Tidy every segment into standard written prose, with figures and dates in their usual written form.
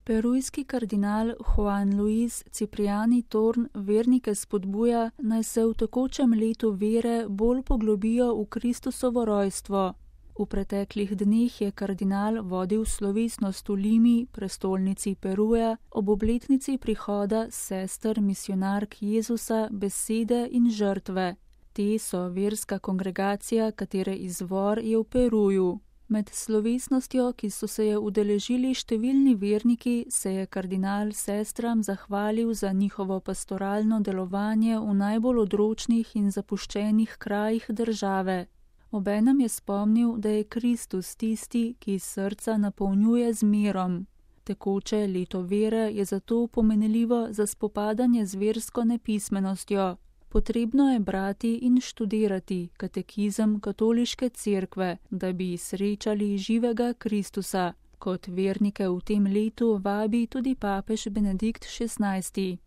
Perujski kardinal Juan Luis Cipriani Torn vernike spodbuja, naj se v tekočem letu vere bolj poglobijo v Kristusovo rojstvo. V preteklih dneh je kardinal vodil slovesnost v Limi, prestolnici Peruja, ob obletnici prihoda sester misionark Jezusa, besede in žrtve. Te so verska kongregacija, katere izvor je v Peruju. Med slovesnostjo, ki so se je udeležili številni verniki, se je kardinal sestram zahvalil za njihovo pastoralno delovanje v najbolj odročnih in zapuščenih krajih države. Obenem je spomnil, da je Kristus tisti, ki srca napolnjuje z mirom. Tekoče leto vere je zato pomenljivo za spopadanje z versko nepismenostjo. Potrebno je brati in študirati katekizem katoliške cerkve, da bi srečali živega Kristusa, kot vernike v tem letu vabi tudi papež Benedikt XVI.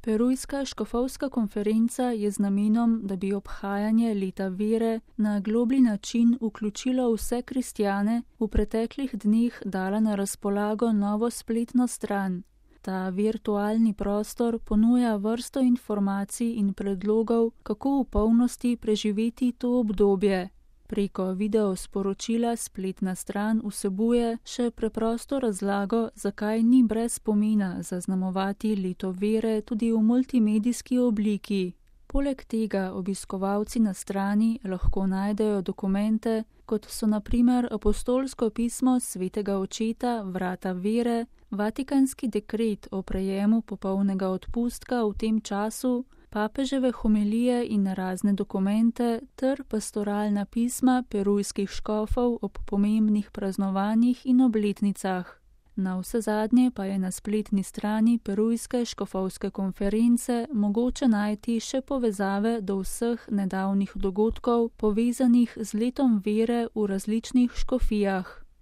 Perujska škofovska konferenca je z namenom, da bi obhajanje leta vere na globlji način vključilo vse kristjane, v preteklih dneh dala na razpolago novo spletno stran. Ta virtualni prostor ponuja vrsto informacij in predlogov, kako v polnosti preživeti to obdobje. Preko videosporočila spletna stran vsebuje še preprosto razlago, zakaj ni brez pomena zaznamovati leto vere tudi v multimedijski obliki. Poleg tega obiskovalci na strani lahko najdejo dokumente, kot so na primer apostolsko pismo svetega očeta Vrata vere, Vatikanski dekret o prejemu popolnega odpustka v tem času, papeževe homilije in razne dokumente ter pastoralna pisma perujskih škofov ob pomembnih praznovanjih in obletnicah. Navsezadnje pa je na spletni strani Perujske škofovske konference mogoče najti še povezave do vseh nedavnih dogodkov, povezanih z letom vere v različnih škofijah.